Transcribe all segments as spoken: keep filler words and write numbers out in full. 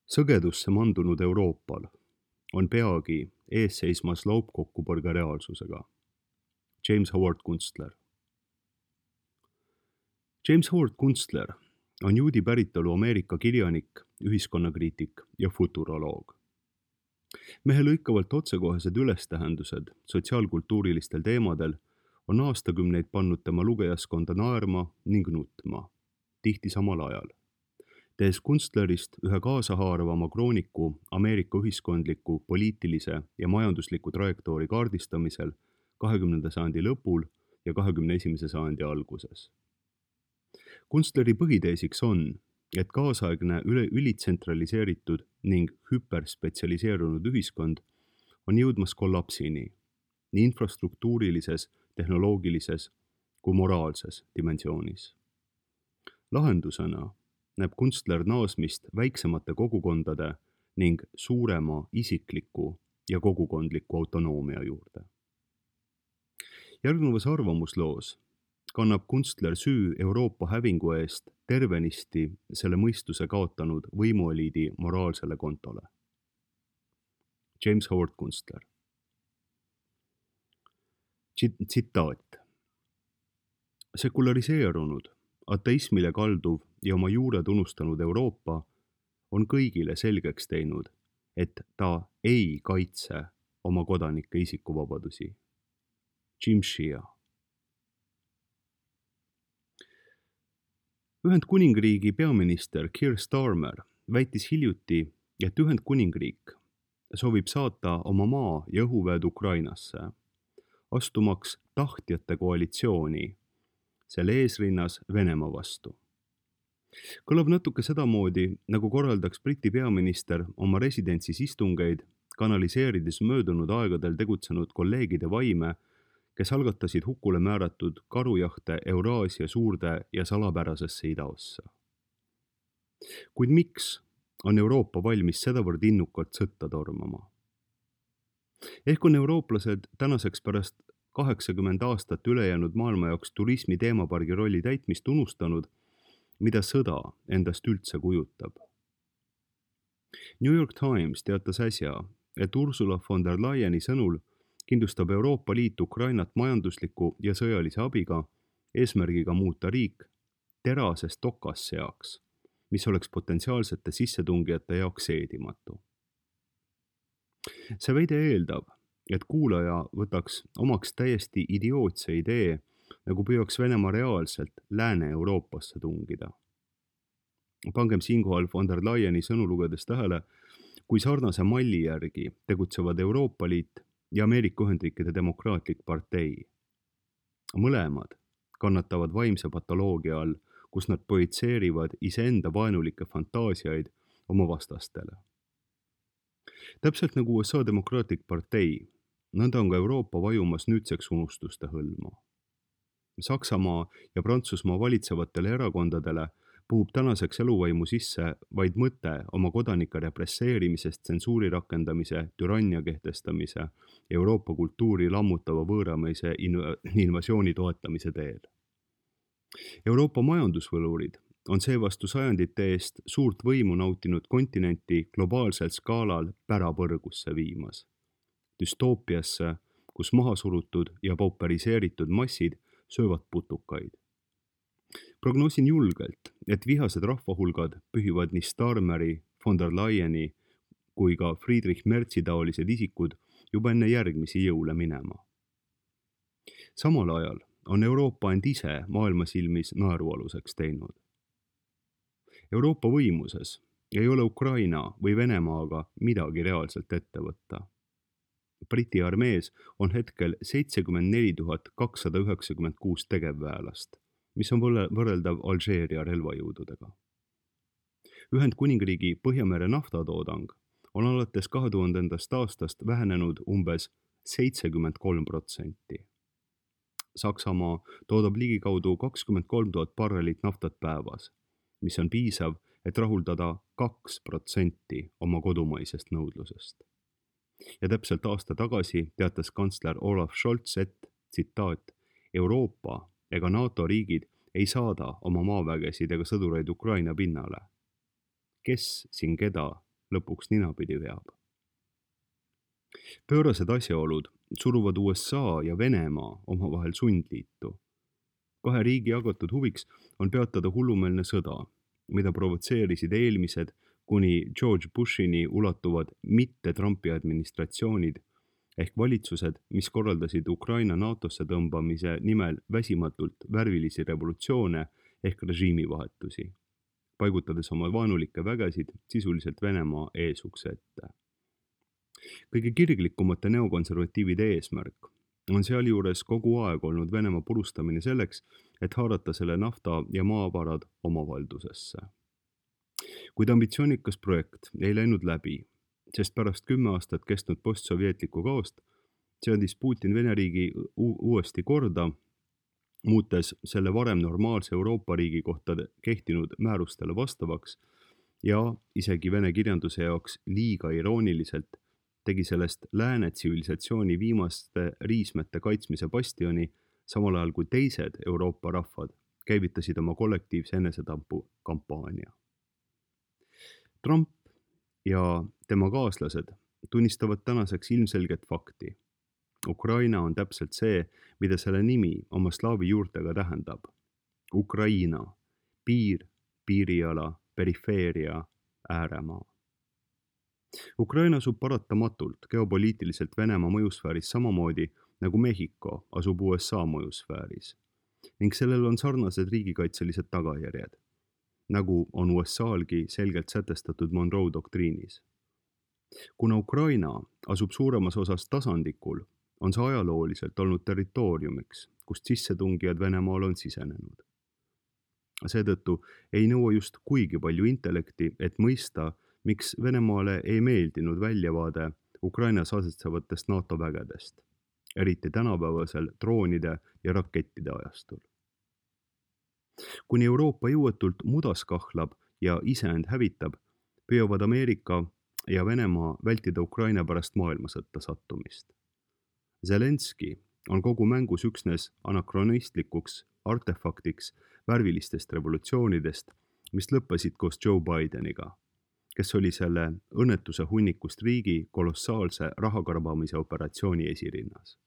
Sõgedusse mandunud Euroopal on peagi ees seismas laupkokkupõrge reaalsusega. James Howard Kunstler. James Howard Kunstler on juudi päritolu Ameerika kirjanik, ühiskonnakriitik ja futuroloog. Mehe lõikavalt otsekohesed ülestähendused sotsiaalkultuurilistel teemadel on aastakümneid pannud tema lugejaskonda naerma ning nutma, tihti samal ajal, tehes Kunstlerist ühe kaasahaarvama krooniku Ameerika ühiskondliku, poliitilise ja majandusliku trajektoori kaardistamisel kahekümnenda sajandi lõpul ja kahekümne esimese sajandi alguses. Kunstleri põhiteesiks on, et kaasaegne üle ülitsentraliseeritud ning hüperspetsialiseerunud ühiskond on jõudmas kollapsini nii infrastruktuurilises, tehnoloogilises kui moraalses dimensioonis. Lahendusena näeb Kunstler naasmist väiksemate kogukondade ning suurema isikliku ja kogukondliku autonoomia juurde. Järgnevas arvamusloos kannab Kunstler süü Euroopa hävingu eest tervenisti selle mõistuse kaotanud võimueliidi moraalsele kontole. James Howard Kunstler. Tsitaat. Sekulariseerunud, ateismile kalduv ja oma juured unustanud Euroopa on kõigile selgeks teinud, et ta ei kaitse oma kodanike isikuvabadusi. Jim Shea. Ühendkuningriigi peaminister Keir Starmer väitis hiljuti, et Ühendkuningriik soovib saata oma maa- ja õhuväed Ukrainasse, astumaks tahtjate koalitsiooni selle eesrinnas Venemaa vastu. Kõlab natuke sedamoodi, nagu korraldaks Briti peaminister oma residentsis istungeid, kanaliseerides möödunud aegadel tegutsenud kolleegide vaime, kes algatasid hukule määratud karujahte Euraasia suurde ja salapärasesse idaossa. Kuid miks on Euroopa valmis sedavõrd innukalt sõtta tormama? Ehk on eurooplased tänaseks pärast kaheksakümmend aastat ülejäänud maailma jaoks turismi teemapargi rolli täitmist unustanud, mida sõda endast üldse kujutab. New York Times teatas äsja, et Ursula von der Leyeni sõnul kindlustab Euroopa Liit Ukrainat majandusliku ja sõjalise abiga eesmärgiga muuta riik terasest tokas seaks, mis oleks potentsiaalsete sissetungijate jaoks seedimatu. See väide eeldab, et kuulaja võtaks omaks täiesti idiootse idee, nagu püüaks Venemaa reaalselt Lääne-Euroopasse tungida. Pangem siinkohal von der Leyeni sõnu lugedes tähele, kui sarnase malli järgi tegutsevad Euroopa Liit ja Ameerika Ühendriikide demokraatlik partei. Mõlemad kannatavad vaimse patoloogia all, kus nad projitseerivad iseenda vaenulikke fantaasiaid oma vastastele. Täpselt nagu U S A demokraatlik partei, nõnda on ka Euroopa vajumas nüüdseks unustuste hõlma. Saksamaa ja Prantsusmaa valitsevatele erakondadele puhub tänaseks eluvaimu sisse vaid mõte oma kodanike represseerimisest tsensuuri rakendamise, türannia kehtestamise, Euroopa kultuuri lammutava võõrameise invasiooni toetamise teel. Euroopa majandusvõlurid on seevastu sajandite eest suurt võimu nautinud kontinenti globaalsel skaalal pärapõrgusse viimas. Düstoopiasse, kus mahasurutud ja pauperiseeritud massid söövad putukaid. Prognoosin julgelt, et vihased rahvahulgad pühivad nii Starmeri, von der Leyeni kui ka Friedrich Merzi taolised isikud juba enne järgmisi jõule minema. Samal ajal on Euroopa end ise maailma silmis naerualuseks teinud. Euroopa võimuses ei ole Ukraina või Venemaaga midagi reaalselt ette võtta. Briti armees on hetkel seitsekümmend neli tuhat kakssada üheksakümmend kuus tegevväelast, mis on võrreldav Alžeeria relvajõududega. Ühendkuningriigi Põhjamere naftatoodang on alates kahe tuhandendast aastast vähenenud umbes seitsekümmend kolm protsenti. Saksamaa toodab ligikaudu kakskümmend kolm tuhat barrelit naftat päevas, mis on piisav, et rahuldada kaks protsenti oma kodumaisest nõudlusest. Ja täpselt aasta tagasi teatas kantsler Olaf Scholz, et, tsitaat, Euroopa ega NATO riigid ei saada oma maavägesid ega sõdureid Ukraina pinnale. Kes siin keda lõpuks ninapidi veab. Pöörased asjaolud suruvad U S A ja Venemaa omavahel sundliitu. Kahe riigi jagatud huviks on peatada hullumeelne sõda, mida provotseerisid eelmised kuni George Bushini ulatuvad mitte Trumpi administratsioonid ehk valitsused, mis korraldasid Ukraina NATOsse tõmbamise nimel väsimatult värvilisi revolutsioone ehk režiimivahetusi, paigutades oma vaenulikke vägesid sisuliselt Venemaa eesukse ette. Kõige kirglikumate neokonservatiivide eesmärk on sealjuures kogu aeg olnud Venemaa purustamine selleks, et haarata selle nafta ja maavarad oma valdusesse. Kuid ambitsioonikas projekt ei läinud läbi, sest pärast kümme aastat kestnud postsovjetlikku kaost seadis Putin Vene riigi uuesti korda, muutes selle varem normaalse Euroopa riigi kohta kehtinud määrustele vastavaks ja isegi Vene kirjanduse jaoks liiga irooniliselt tegi sellest lääne tsivilisatsiooni viimaste riismete kaitsmise bastioni, samal ajal kui teised Euroopa rahvad käivitasid oma kollektiivse enesetampu kampaania. Trump ja tema kaaslased tunnistavad tänaseks ilmselget fakti. Ukraina on täpselt see, mida selle nimi oma slaavi juurtega tähendab. Ukraina, piir, piiriala, perifeeria, ääremaa. Ukraina asub paratamatult geopoliitiliselt Venemaa mõjusfääris samamoodi nagu Mehhiko asub U S A mõjusfääris ning sellel on sarnased riigikaitselised tagajärjed, nagu on U S A-lgi selgelt sätestatud Monroe doktriinis. Kuna Ukraina asub suuremas osas tasandikul, on see ajalooliselt olnud territooriumiks, kust sissetungijad Venemaal on sisenenud. Seetõttu ei nõua just kuigi palju intellekti, et mõista, miks Venemaale ei meeldinud väljavaade Ukrainas asetsevatest NATO vägedest, eriti tänapäevasel droonide ja rakettide ajastul. Kuni Euroopa jõuetult mudas kahlab ja iseend hävitab, püüavad Ameerika ja Venemaa vältida Ukraina pärast maailmasõtta sattumist. Zelenski on kogu mängus üksnes anakronistlikuks artefaktiks värvilistest revolutsioonidest, mis lõppesid koos Joe Bideniga, kes oli selle õnnetuse hunnikust riigi kolossaalse rahakarbamise operatsiooni esirinnas.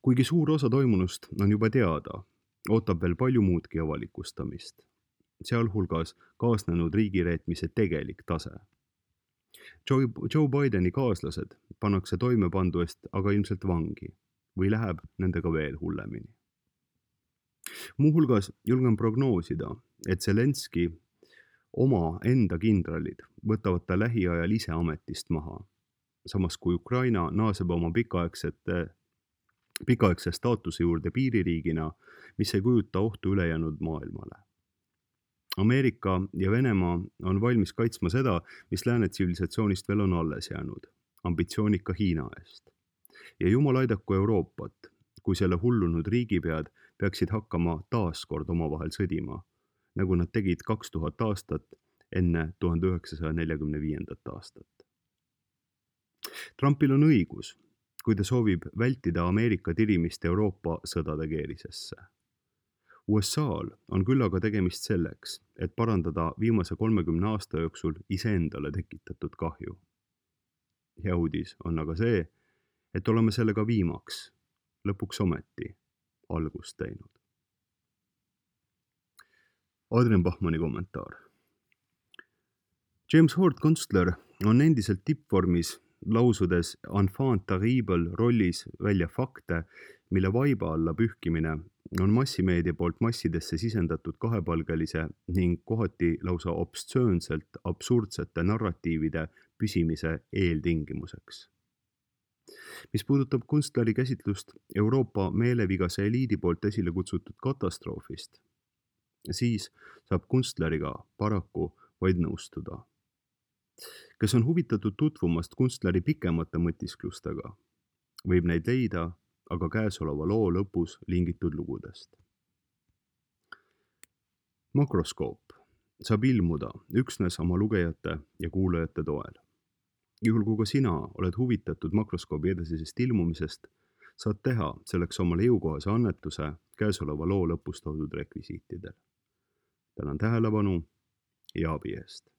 Kuigi suur osa toimunust on juba teada, ootab veel palju muudki avalikustamist, sealhulgas kaasnenud riigireetmise tegelik tase. Joe, Joe Bideni kaaslased pannakse toimepandu eest aga ilmselt vangi või läheb nendega veel hullemini. Muuhulgas julgen prognoosida, et Zelenski oma enda kindralid võtavad ta lähiajal ise ametist maha, samas kui Ukraina naaseb oma pikaaegsete, pikaaegse staatuse juurde piiririigina, mis ei kujuta ohtu ülejäänud maailmale. Ameerika ja Venemaa on valmis kaitsma seda, mis lääne tsivilisatsioonist veel on alles jäänud, ambitsioonika Hiina eest. Ja jumal aidaku Euroopat, kui selle hullunud riigipead peaksid hakkama taaskord omavahel sõdima, nagu nad tegid kaks tuhat aastat enne tuhande üheksasaja neljakümne viiendat aastat. Trumpil on õigus, kui ta soovib vältida Ameerika tirimist Euroopa sõdade keerisesse. U S A-l on küll aga tegemist selleks, et parandada viimase kolmekümne aasta jooksul iseendale tekitatud kahju. Hea uudis on aga see, et oleme sellega viimaks, lõpuks ometi, algust teinud. Adrian Bachmanni kommentaar. James Howard Kunstler on endiselt tippvormis lausudes enfant terrible rollis välja fakte, mille vaiba alla pühkimine on massimeedia poolt massidesse sisendatud kahepalgelise ning kohati lausa obstsöönselt absurdsete narratiivide püsimise eeltingimuseks. Mis puudutab Kunstleri käsitlust Euroopa meelevigase eliidi poolt esile kutsutud katastroofist, siis saab Kunstleriga paraku vaid nõustuda. Kes on huvitatud tutvumast Kunstleri pikemate mõtisklustega, võib neid leida aga käesoleva loo lõpus lingitud lugudest. Makroskoop saab ilmuda üksnes oma lugejate ja kuulajate toel. Juhul kui ka sina oled huvitatud makroskoobi edasisest ilmumisest, saad teha selleks omale jõukohase annetuse käesoleva loo lõpus toodud rekvisiitidel. Tänan tähelepanu ja abi eest.